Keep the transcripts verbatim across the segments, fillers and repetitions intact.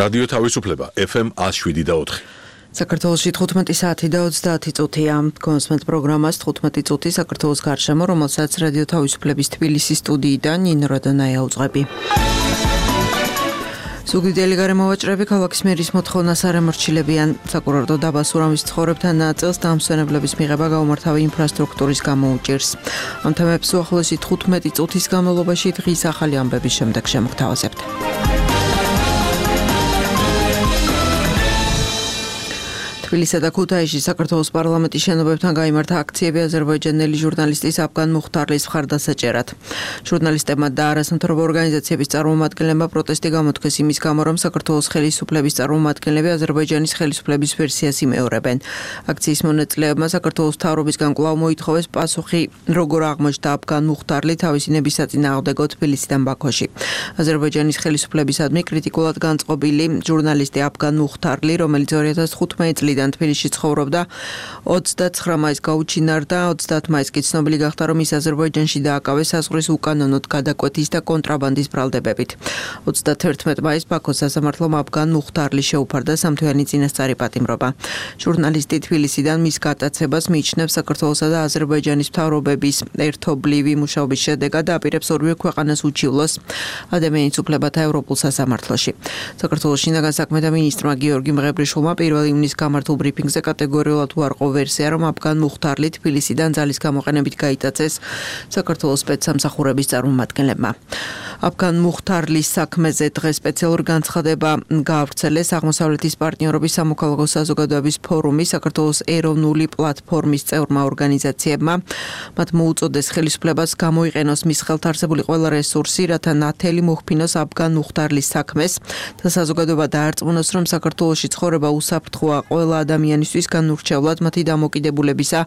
რადიო თავისუფლება ეფ ემ one oh seven და four. საქართველოში თხუთმეტი საათი და ოცდაათი წუთია. კონსმენტ პროგრამას თხუთმეტი წუთი საქართველოს გარშემო, რომელსაც რადიო თავისუფლების თბილისის სტუდიიდან ნინო რადონაია უძღვები. ზუგდიდელი გარემოვაჭრები ქალაქის მერის მოთხოვნას არ ემორჩილებიან. საკურორტო დაბა სურამის ცხოვრებთან ნაწილს დამსვენებლების მიღება გაუმართავი ინფრასტრუქტურის გამო უჭირს. ამ თემებს უახლოესი თხუთმეტი წუთის განმავლობაში დღის ახალი ამბების შემდეგ შემოგთავაზებთ. თბილისსა და ქუთაისში საქართველოს პარლამენტის შენობებთან გაიმართა აქციები აზერბაიჯანელი ჟურნალისტის აფგან მუხთარლის მხარდასაჭერად. ჟურნალისტებმა და არასამთავრობო ორგანიზაციების წარმომადგენლებმა პროტესტი გამოთქვეს იმის გამო, რომ საქართველოს ხელისუფლების წარმომადგენლები აზერბაიჯანის ხელისუფლების ვერსიას იმეორებენ. აქციის მონაწილეებმა საქართველოს მთავრობისგან კვლავ მოითხოვეს პასუხი, როგორ აღმოჩნდა აფგან მუხთარლი თავისი ნების საწინააღმდეგო თბილისიდან ბაქოში. აზერბაიჯანის ხელისუფლებისადმი კრიტიკულად განწყობილი ჟურნალისტი აფგან მუხთარლი, რომელიც ორი ათას თხუთმეტი წლიდან თბილისში ცხოვრობდა, ოცდაცხრა მაისს გაუჩინარდა, ოცდაათ მაისს კი ცნობილი გახდა, რომ ის აზერბაიჯანში დააკავეს საზღვრის უკანონოდ გადაკვეთის და კონტრაბანდის ბრალდებებით. ოცდათერთმეტი მაისს ბაქოს სასამართლომ აფგან მუხთარლი შეუფარდა სამთვიანი წინასწარი პატიმრობა. ჟურნალისტი თბილისიდან მის გატაცებას მიიჩნევს საქართველოსა და აზერბაიჯანის მთავრობების ერთობლივი მუშაობის შედეგად და აპირებს ორივე ქვეყანას უჩივლოს ადამიანის უფლებათა ევროპულ სასამართლოში. საქართველოს შინაგან საქმეთა მინისტრმა გიორგი მღებრიშვილმა პირველ ივნისს გამართულ ბრიფინგზე კატეგორიულად უარყო ვერსია, რომ აფგან მუხთარლი თბილისიდან ძალის გამოყენებით გაიტაცეს საქართველოს სპეცსამსახურების წარმომადგენლებმა. აფგან მუხთარლის საქმეზე დღეს სპეციალური განცხადება გაავრცელეს აღმოსავლეთის პარტნიორობის სამოქალაქო საზოგადოების ფორუმის საქართველოს ეროვნული პლატფორმის წევრმა ორგანიზაციებმა. მათ მოუწოდეს ხელისუფლებას გამოიყენოს მის ხელთ არსებული ყველა რესურსი, რათა ნათელი მოჰფინოს აფგან მუხთარლის საქმეს და საზოგადოება დაარწმუნოს, რომ საქართველოში ცხოვრება უსაფრთხოა ყველა ადამიანისთვის განურჩევლად მათი დამოკიდებულებისა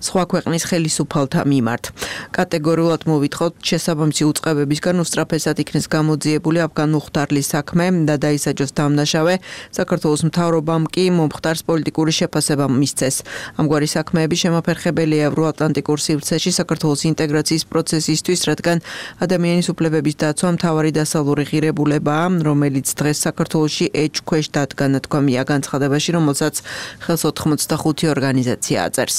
სხვა ქვეყნის ხელისუფალთა მიმართ. კატეგორიულად მოვითხოვთ შესაბამისი უწყებებისგან უსწრაფესად იქნეს გამოძიებული აფგან მუხთარლის საქმე და დაისაჯოს დამნაშავე. საქართველოს მთავრობამ კი მომხდარს პოლიტიკური შეფასება მისცეს. ამგვარი საქმეები შემაფერხებელია ევროატლანტიკურ სივრცეში საქართველოს ინტეგრაციის პროცესისთვის, რადგან ადამიანის უფლებების დაცვა მთავარი დასავლური ღირებულებაა, რომელიც დღეს საქართველოში ეჭქვეშ დადგა, ნათქვამია განცხადებაში, რომელსაც ხელს ოთხმოცდახუთი ორგანიზაცია აწერს.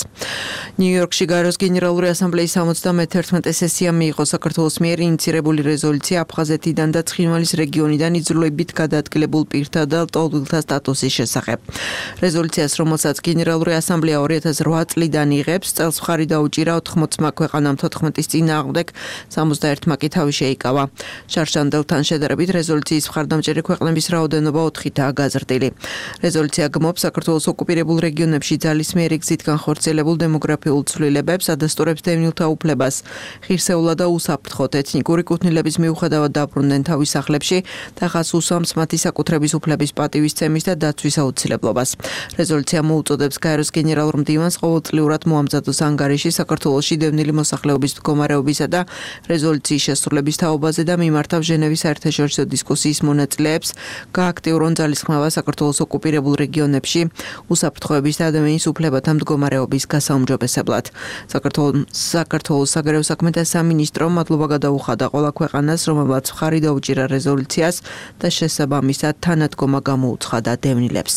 ნიუ-იორკში გაეროს გენერალური ასამბლეის სამოცდამეთერთმეტე სესია მიიღო საქართველოს მიერ ინიცირებული რეზოლუცია აფხაზეთიდან და ცხინვალის რეგიონიდან იძულებით გადაადგილებულ პირთა და ლტოლვილთა სტატუსის შესახებ. რეზოლუციას, რომელსაც გენერალური ასამბლეა ორი ათას რვა წლიდან იღებს, წელს მხარი დაუჭირა ოთხმოცმა ქვეყანამ თოთხმეტის წინააღმდეგ, სამოცდაერთმა კი თავი შეიკავა. შარშანდელთან შედარებით რეზოლუციის მხარდამჭერი ქვეყნების რაოდენობა ოთხითაა გაზრდილი. რეზოლუცია გმობს საქართველოს ოკუპირებულ რეგიონებში ძალის მიერ გზით განხორციელებულ დემოგრაფიულ ცვლილებებს, ადასტურებს დევნილთა უფლებას, ღირსეულად და უსაფრთხოდ ეთნიკური კუთვნილების მიუხედავად დაბრუნდნენ თავის სახლებში და ხაზს უსვამს მათი საკუთრების უფლების პატივისცემის და დაცვის აუცილებლობას. რეზოლუცია მოუწოდებს გაეროს გენერალურ მდივანს ყოველწლიურად მოამზადოს ანგარიში საქართველოში დევნილი მოსახლეობის მდგომარეობისა და რეზოლუციის შესრულების თაობაზე და მიმართავ ჟენევის საერთაშორისო დისკუსიის მონაწილეებს, გააქტიურონ ძალისხმევა საქართველოს ოკუპირებულ რეგიონებში უსაფრთხოების და ადამიანის უფლებათა მდგომარეობის გასაუმჯობესებლად. საქართველოს საგარეო საქმეთა სამინისტრომ მადლობა გადაუხადა ყველა ქვეყანას, რომელმაც მხარი დაუჭირა რეზოლუციას და შესაბამისად თანადგომა გამოუცხადა დევნილებს.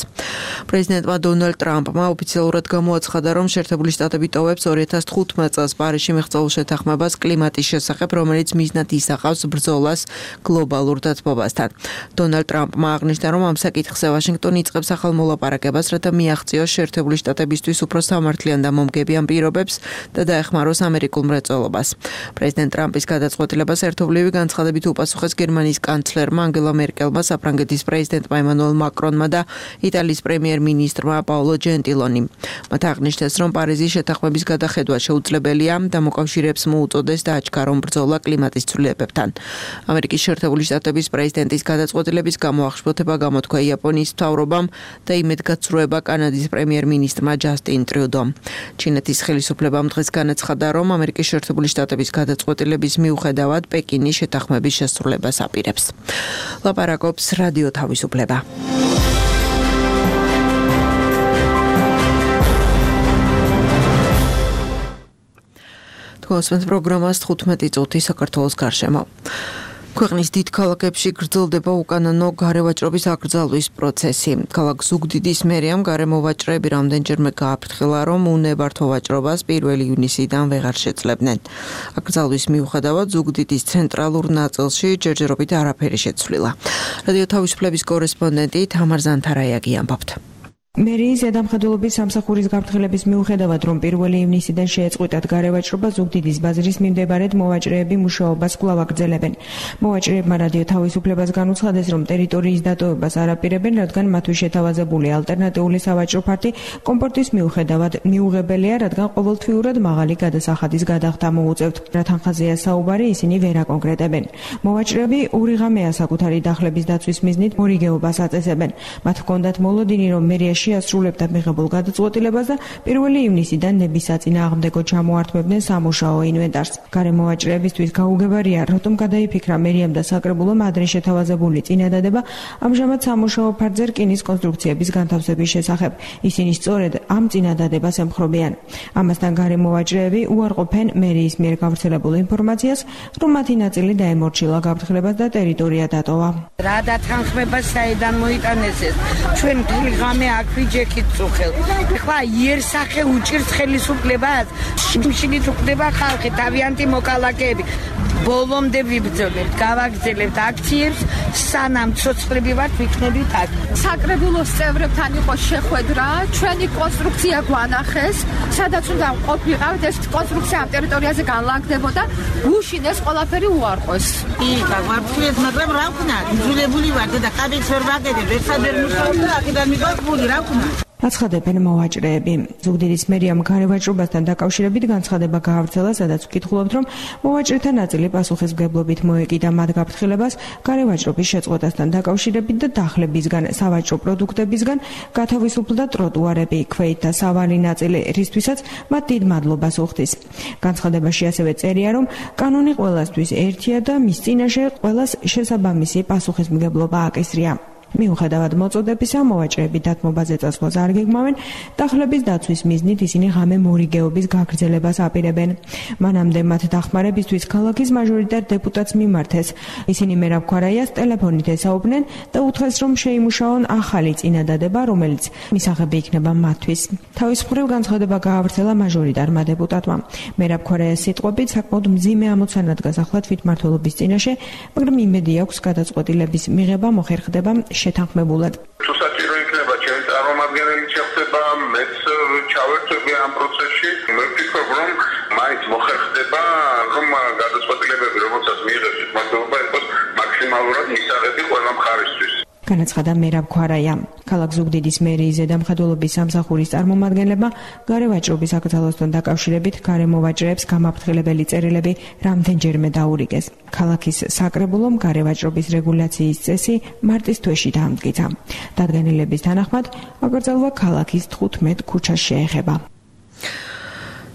პრეზიდენტმა დონალდ ტრამპმა ოფიციალურად გამოაცხადა, რომ შეერთებული შტატები ტოვებს ორი ათას თხუთმეტ წელს პარიზში მიღწეულ შეთანხმებას კლიმატის შესახებ, რომელიც მიზნად ისახავს ბრძოლას გლობალურ დათბობასთან. დონალდ ტრამპმა აღნიშნა, რომ ამ საკითხზე ვაშინგტონი იწყებს ახალ მოლაპარაკებას, რათა მიაღწიოს შეერთებული შტატებისთვის უფრო სამართლიან და მომგებიან პირობებს და დაეხმაროს ამერიკულ მრეწველობას. პრეზიდენტ ტრამპის გადაწყვეტილებას ერთობლივი განცხადებით უპასუხეს გერმანიის კანცლერმა ანგელა მერკელმა, საფრანგეთის პრეზიდენტმა ემანუელ მაკრონმა და იტალიის პრემიერ-მინისტრმა პაოლო ჯენტილონიმ. მათ აღნიშნეს, რომ პარიზის შეთანხმების გადახედვა შეუძლებელია და მოკავშირეებს მოუწოდეს დააჩქარონ რომ ბრძოლა კლიმატის ცვლილებებთან. ამერიკის შეერთებული შტატების პრეზიდენტის გადაწყვეტილების გამო აღშფოთება გამოთქვა იაპონიის მთავრობამ და იმედგაცრუება კანადის პრემიერ-მინისტრმა ჯასტინ ტრიუდომ. ჩინეთის ხელისუფლებამ დღეს განაცხადა, რომ ამერიკის შეერთებული შტატების გადაწყვეტილების მიუხედავად პეკინი შეთანხმების შესრულებას აპირებს. ლაპარაკობს რადიო თავისუფლება. კონსმენტ პროგრამას თხუთმეტი წუთი საქართველოს გარშემო. ქვეყნის დიდ ქალაქებში გრძელდება უკანონო გარევაჭრობის აკრძალვის პროცესი. ქალაქ ზუგდიდის მერიამ გარემოვაჭრეები რამდენჯერმე გააფრთხილა, რომ უნებართვო ვაჭრობას პირველი ივნისიდან ვეღარ შეძლებდნენ. აკრძალვის მიუხედავად ზუგდიდის ცენტრალურ ნაწილში ჯერჯერობით არაფერი შეცვლილა. რადიო თავისუფლების კორესპონდენტი თამარ ზანთარაიაგი ამბობთ. მერიის ზედამხედველობის სამსახურის გაფრთხილების მიუხედავად, რომ პირველი ივნისიდან შეეწყვიტათ გარევაჭრობა, ზუგდიდის ბაზრის მიმდებარედ მოვაჭრეები მუშაობას კვლავ აგრძელებენ. მოვაჭრეებმა რადიო თავისუფლებას განუცხადეს, რომ ტერიტორიის დატოვებას არ აპირებენ, რადგან მათთვის შეთავაზებული ალტერნატიული სავაჭრო ფართი კომფორტის მიუხედავად მიუღებელია, რადგან ყოველთვიურად მაღალი გადასახადის გადახდა მოუწევთ. რა თანხაზეა საუბარი, ისინი ვერ აკონკრეტებენ. მოვაჭრეები ორი ღამეა საკუთარი დახლების დაცვის მიზნით მორიგეობას აწესებენ. მათ ჰქონდათ მოლოდინი, რომ მერიაში შეასრულებდა მიღებულ გადაწყვეტილებას და პირველი ივნისიდან ნების საწინააღმდეგო ჩამოართმებდნენ სამუშაო ინვენტარს. გარემოვაჭრეებისთვის გაუგებარია, რატომ გადაიფიქრა მერიამ და საკრებულომ ადრე შეთავაზებული წინადადება ამჟამად სამუშაო ფარდზე რკინის კონსტრუქციების განთავსების შესახებ. ისინი სწორედ ამ წინადადებას ემხრობიან. ამასთან გარემოვაჭრეები უარყოფენ მერიის მიერ გავრცელებულ ინფორმაციას, რომ მათი ნაწილი დაემორჩილა გაფრთხილებას და ტერიტორია დატოვა. რა დათანხმება საიდან მოიტანეს ეს? ჩვენ მთელი ღამე აქ ვიჯექით წუხელ. ეხლა იერსახე უჭირს ხელისუფლებას, შიმშილით უხდება ხალხი, თავიანთი მოკალაკეები. ბოლომდე ვიბრძოლებთ, გავაგრძელებთ აქციებს, სანამ ცოცხლები ვართ, ვიქნებით აქ. საკრებულოს წევრებთან იყო შეხვედრა, ჩვენი კონსტრუქცია გვანახეს, სადაც უნდა ყოფილიყავით, ეს კონსტრუქცია ამ ტერიტორიაზე განლაგდებოდა, გუშინ ეს ყველაფერი უარყვეს. იქა ვაფრთხილეთ, მაგრამ რა ვქნა, იძულებული ვარ და კაბინს ვერ ვაგებებ, ერთად ვერ მუშაობ და აქედან მივაყბული, რა ვქნა. აცხადებენ მოვაჭრეები. ზუგდიდის მერიამ გარევაჭრობასთან დაკავშირებით განცხადება გაავრცელა, სადაც ვკითხულობთ, რომ მოვაჭრეთა ნაწილი პასუხისმგებლობით მოეკიდა მათ გაფრთხილებას გარევაჭრობის შეწყვეტასთან დაკავშირებით და დახლებისგან, სავაჭრო პროდუქტებისგან გათავისუფლდა ტროტუარები, ქვeit და სავალი ნაწილი, რისთვისაც მათ დიდ მადლობას უხდის. განცხადებაში ასევე წერია, რომ კანონი ყველასთვის ერთია და მის წინაშე ყველას შესაბამისი პასუხისმგებლობა აკისრია. მიუხედავად მოწოდებისა, მოვაჭრეები დათმობაზე წასვლას არ გეგმავენ, დახლების დაცვის მიზნით ისინი ღამე მორიგეობის გაგრძელებას აპირებენ. მანამდე მათ დახმარებისთვის ქალაქის მაჟორიტარ დეპუტატს მიმართეს. ისინი მერაბ ქვარაიას ტელეფონით ესაუბნენ და უთხრეს, რომ შეიმუშაონ ახალი წინადადება, რომელიც მისაღები იქნება მათთვის. თავის მხრივ განცხადება გაავრცელა მაჟორიტარმა დეპუტატმა. მერაბ ქვარაიას სიტყვებით, საკმაოდ მძიმე ამოცანა დგას ახლა თვითმმართველობის წინაშე, მაგრამ იმედი აქვს გადაწყვეტილების მიღება მოხერხდება შეთანხმებულად. თუ საჭირო იქნება ჩემი წარმომადგენელი შეხვდება, მეც ჩავერთვები ამ პროცესში. მე ვფიქრობ, რომ მაინც მოხერხდება, რომ გადაწყვეტილებები, რომელსაც მიიღებს თვითმმართველობა, იყოს მაქსიმალურად მისაღები ყველა მხარისთვის. განაცხადა მერაბ ქვარაია. ქალაქ ზუგდიდის მერიის ზედამხედველობის სამსახურის წარმომადგენლებმა გარევაჭრობის აკრძალვასთან დაკავშირებით გარემოვაჭრეებს გამაფრთხილებელი წერილები რამდენჯერმე დაურიგეს. ქალაქის საკრებულომ გარევაჭრობის რეგულაციის წესი მარტის თვეში დაამტკიცა. დადგენილების თანახმად, აკრძალვა ქალაქის თხუთმეტ ქუჩას შეეხება.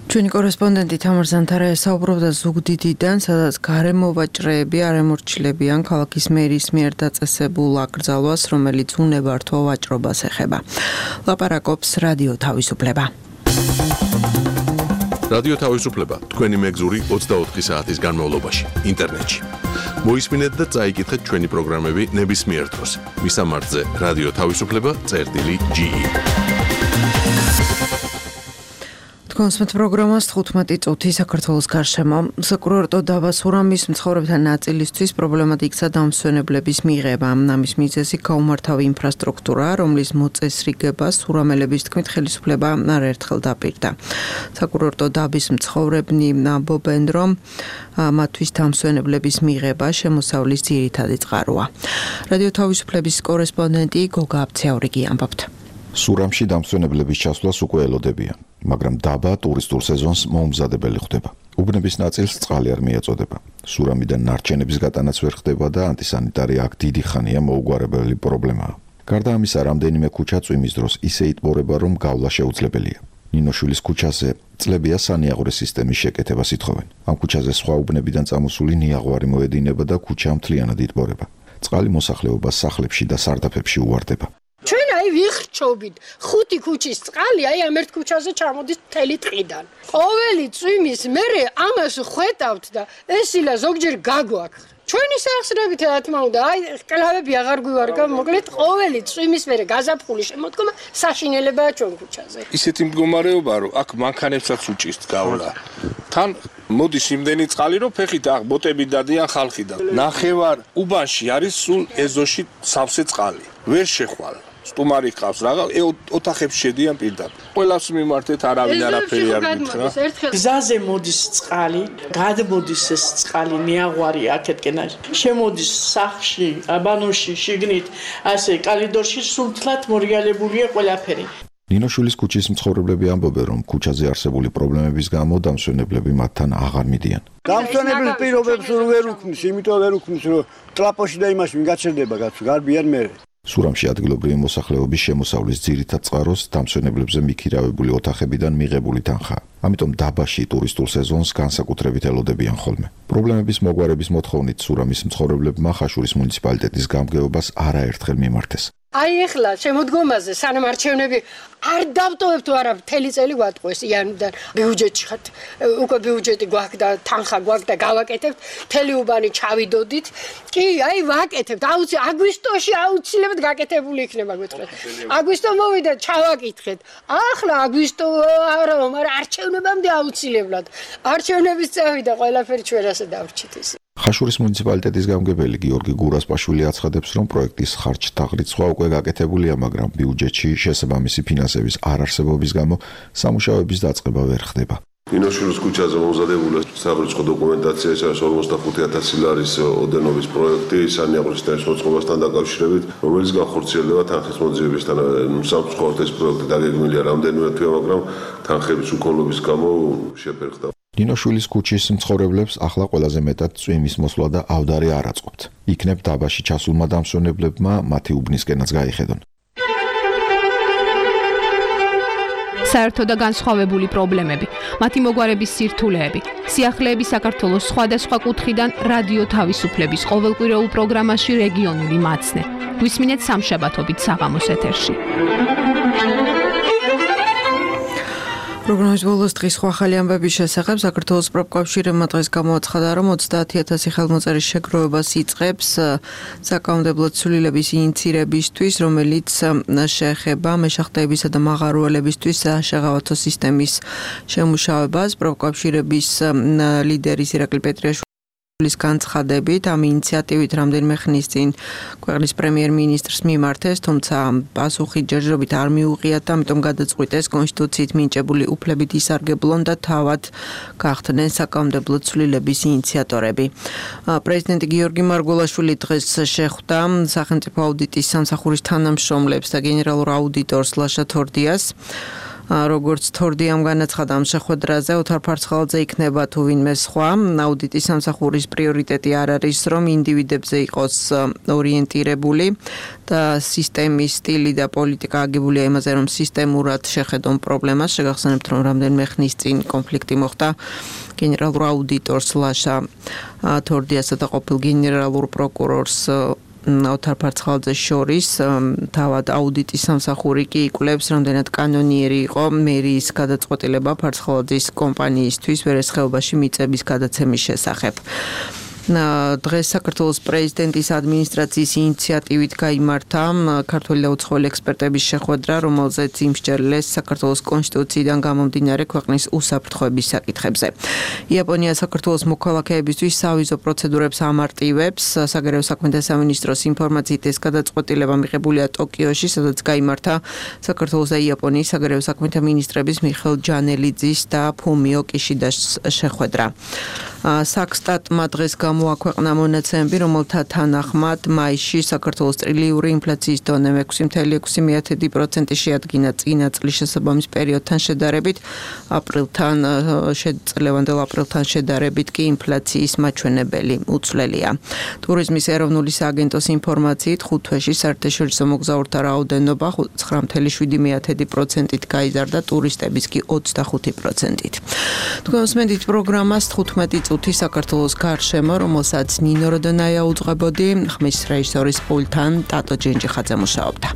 ჩვენი კორესპონდენტი თამარ ზანთარაია საუბრობდა ზუგდიდიდან, სადაც გარემოვაჭრეები არ ემორჩილებიან ქალაქის მერის მიერ დაწესებულ აკრძალვას, რომელიც უნებართვო ვაჭრობას ეხება. ლაპარაკობს რადიო თავისუფლება. რადიო თავისუფლება თქვენი მეგზური ოცდაოთხი საათის განმავლობაში ინტერნეტში. მოისმინეთ და წაიკითხეთ ჩვენი პროგრამები ნებისმიერ დროს. მისამართზე რადიო თავისუფლება წერტილი ჯი ი. კონსმეთ პროგრამას თხუთმეტი წუთი საქართველოს გარშემო. საკურორტო დაბა სურამის მცხოვრებთა ნაწილისთვის პრობლემად იქცა დამსვენებლების მიღება. ამის მიზეზი გაუმართავი ინფრასტრუქტურა, რომლის მოწესრიგება სურამელების თქმით ხელისუფლება არაერთხელ დაპირდა. საკურორტო დაბის მცხოვრებნი ამბობენ, რომ მათთვის დამსვენებლების მიღება შემოსავლის ძირითადი წყაროა. რადიო თავისუფლების კორესპონდენტი გოგა აბცეაურიგი ამბობთ. სურამში დამსვენებლების ჩასვლას უკვე ელოდებიან, მაგრამ დაბა ტურისტულ სეზონს მოუმზადებელი ხდება. უბნების ნაწილს წყალი არ მიეწოდება. სურამიდან ნარჩენების გატანაც ვერ ხდება და ანტისანიტარია აქ დიდი ხანია მოუგვარებელი პრობლემაა. გარდა ამისა, რამდენიმე ქუჩა წვიმის დროს ისე იტბორება, რომ გავლა შეუძლებელია. ნინოშვილის ქუჩაზე წლებია სანიაღვრე სისტემის შეკეთებას ითხოვენ. ამ ქუჩაზე სხვა უბნებიდან წამოსული ნიაღვარი მოედინება და ქუჩა მთლიანად იტბორება. წყალი მოსახლეობას სახლებში და სარდაფებში უვარდება. ჩვენ აი აი ვიხრჩობით ხუთი ქუჩის წყალი აი ამ ერთ ქუჩაზე ჩამოდის მთელი ტყიდან. ყოველი წვიმის მერე ამას ხვეტავთ და ესილა ზოგჯერ გაგვაქვს. ჩვენი სახსრებით რა თქმა უნდა, აი კლავები აღარ გვივარგა, მოკლედ ყოველი წვიმის მერე გაზაფხული შემოდგომა საშინელებაა ჩვენ ქუჩაზე. ისეთი მდგომარეობა რომ აქ მანქანებსაც უჭირს გავლა. თან მოდის იმდენი წყალი რომ ფეხით აღ ბოტები დადიან ხალხიდან. ნახევარ უბანში არის სულ ეზოში სავსე წყალი. ვერ შეხვალ. სტუმარი ყავს რაღა ოთახებში შედიან პირდაპირ. ყველას მიმართეთ არავინ არაფერი არ გითხრა. გზაზე მოდის წყალი, გადმოდის ეს წყალი მეაღვარი აქეთკენ. შემოდის სახლში, აბანოში, შიგნით, ასე კალიდორში სულთლად მორიალებულია ყველაფერი. ნინოშვილის ქუჩის მცხოვრებლები ამბობენ, რომ ქუჩაზე არსებული პრობლემების გამო დამსვენებლები მათთან აღარ მიდიან. დამსვენებლის პირობებს ვერ უქმნის, იმიტომ ვერ უქმნის, რომ ტრაპოში და იმაში ვინ გაჩერდება კაცო, გარბიან მე. სურამში ადგილობრივი მოსახლეობის შემოსავლის ძირითად წყაროს დამსვენებლებზე მიქირავებული ოთახებიდან მიღებული თანხაა. ამიტომ დაბაში ტურისტულ სეზონს განსაკუთრებით ელოდებიან ხოლმე. პრობლემების მოგვარების მოთხოვნით სურამის მცხოვრებლებმა ხაშურის მუნიციპალიტეტის გამგეობას არაერთხელ მიმართეს. აი ეხლა შემოდგომაზე სანამ არჩევნები არ დავტოვებთ არა მთელი წელი გვატყუეს იანვრიდან ბიუჯეტში ხართ უკვე ბიუჯეტი გვაქვს და თანხა გვაქვს და გავაკეთებთ მთელი უბანი ჩავიდოდით კი აი ვაკეთებთ აუცი აგვისტოში აუცილებლად გაკეთებული იქნება გვეთქვით აგვისტო მოვიდა ჩავაკითხეთ ახლა აგვისტო არა მაგრამ არჩევნებამდე აუცილებლად არჩევნების წავიდა ყველაფერი ჩვენ ასე დავრჩით ის ხაშურის მუნიციპალიტეტის გამგებელი გიორგი გურასპაშვილი აცხადებს, რომ პროექტის ხარჯ-თაღრიცხვა უკვე გაკეთებულია, მაგრამ ბიუჯეტში შესაბამისი ფინანსების არარსებობის გამო სამუშაოების დაწყება ვერ ხდება. ნინოშვილის ქუჩაზე მომზადებული საღრიცხვა დოკუმენტაცია ეს არის ორმოცდახუთი ათასი ლარის ოდენობის პროექტი სანიაღმრის მოწყობასთან დაკავშირებით, რომელიც განხორციელდება თანხის მოძიებისთან. სამწუხაროდ ეს პროექტი დაგეგმილია რამდენიმე თვე, მაგრამ თანხების უქონლობის გამო შეფერხდა. ნინოშვილის ქუჩის მცხოვრებლებს ახლა ყველაზე მეტად წვიმის მოსვლა და ავდარი არ აწყობთ. იქნებ დაბაში ჩასულმა დამსვენებლებმა მათი უბნისკენაც გაიხედონ. საერთო და განსხვავებული პრობლემები, მათი მოგვარების სირთულეები, სიახლეები საქართველოს სხვადასხვა კუთხიდან რადიო თავისუფლების ყოველკვირეულ პროგრამაში რეგიონული მაცნე. გვისმინეთ სამშაბათობით საღამოს ეთერში. პროგრამის ბოლოს დღის სხვა ახალი ამბების შესახებ საქართველოს პროფკავშირმა დღეს გამოაცხადა, რომ ოცდაათი ათასი ხელმოწერის შეგროვებას იწყებს საკანონმდებლო ცვლილების ინიცირებისთვის, რომელიც შეეხება მეშახტეებისა და მაღაროელებისთვის შეღავათო სისტემის შემუშავებას. პროფკავშირების ლიდერის ირაკლი პეტრიაშვილი ლის განცხადებით ამ ინიციატივით რამდენიმე ხნის წინ ქვეყნის პრემიერ-მინისტრს მიმართეს, თუმცა პასუხი ჯერჯერობით არ მიუღიათ და ამიტომ გადაწყვიტეს კონსტიტუციით მინიჭებული უფლებით ისარგებლონ და თავად გახდნენ საკანონმდებლო ცვლილების ინიციატორები. პრეზიდენტი გიორგი მარგველაშვილი დღეს შეხვდა სახელმწიფო აუდიტის სამსახურის თანამშრომლებს და გენერალურ აუდიტორს ლაშა თორდიას. როგორც თორდიამ განაცხადა ამ შეხვედრაზე, ოთარ ფარცხალაძე იქნება თუ ვინმე სხვა. აუდიტის სამსახურის პრიორიტეტი არ არის, რომ ინდივიდებზე იყოს ორიენტირებული და სისტემის სტილი და პოლიტიკა აგებულია იმაზე, რომ სისტემურად შეხედონ პრობლემას. შეგახსენებთ, რომ რამდენიმე ხნის წინ კონფლიქტი მოხდა გენერალურ აუდიტორს ლაშა თორდიასა და ყოფილ გენერალურ პროკურორს ოთარ ფარცხალაძეს შორის. თავად აუდიტის სამსახური კი იკვლევს, რამდენად კანონიერი იყო მერიის გადაწყვეტილება ფარცხალაძის კომპანიისთვის ვერეს ხეობაში მიწების გადაცემის შესახებ. დღეს საქართველოს პრეზიდენტის ადმინისტრაციის ინიციატივით გაიმართა ქართველი და უცხოელი ექსპერტების შეხვედრა, რომელზეც იმსჯელეს საქართველოს კონსტიტუციიდან გამომდინარე ქვეყნის უსაფრთხოების საკითხებზე. იაპონია საქართველოს მოქალაქეებისთვის სავიზო პროცედურებს ამარტივებს. საგარეო საქმეთა სამინისტროს ინფორმაციით ეს გადაწყვეტილება მიღებულია ტოკიოში, სადაც გაიმართა საქართველოს და იაპონიის საგარეო საქმეთა მინისტრების მიხეილ ჯანელიძის და ფუმიო კიშიდას შეხვედრა. საქსტატმა დღეს გამოაქვეყნა მონაცემები, რომელთა თანახმად მაისში საქართველოს ტრილიური ინფლაციის დონე ექვსი კoma ექვსი პროცენტი შეადგინა წინა წლის შესაბამის პერიოდთან შედარებით. აპრილთან წლევანდელ აპრილთან შედარებით კი ინფლაციის მაჩვენებელი უცვლელია. ტურიზმის ეროვნული სააგენტოს ინფორმაციით ხუთ თვეში საერთაშორისო მოგზაურთა რაოდენობა ცხრა კoma შვიდი პროცენტით გაიზარდა, ტურისტების კი ოცდახუთი პროცენტით. თქვენ უსმენთ პროგრამას თხუთმეტი წუთი საქართველოს გარშემო, რომელსაც ნინო როდონაია უძღვებოდი, ხმის რეჟისორის პულტთან ტატო ჯენჯიხაძე მუშაობდა.